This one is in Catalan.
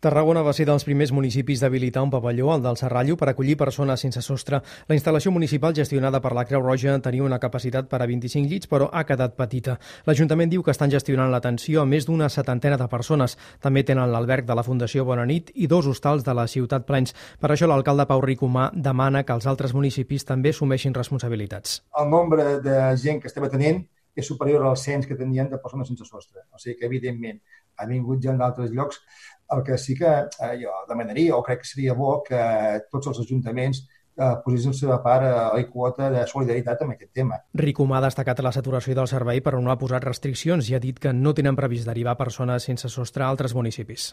Tarragona va ser dels primers municipis d'habilitar un pavelló, el del Serrallo, per acollir persones sense sostre. La instal·lació municipal gestionada per la Creu Roja tenia una capacitat per a 25 llits, però ha quedat petita. L'Ajuntament diu que estan gestionant l'atenció a més d'una setantena de persones. També tenen l'alberg de la Fundació Bona Nit i 2 hostals de la ciutat plens. Per això l'alcalde Pau Ricomà demana que els altres municipis també assumeixin responsabilitats. El nombre de gent que estem atenent és superior al cens que tenien de persones sense sostre. O sigui que, evidentment, ha vingut gent d'altres llocs. El que sí que jo demanaria, o crec que seria bo, que tots els ajuntaments posessin la seva part a la quota de solidaritat amb aquest tema. Ricomà ha destacat la saturació del servei, però no ha posat restriccions i ha dit que no tenen previst derivar persones sense sostre a altres municipis.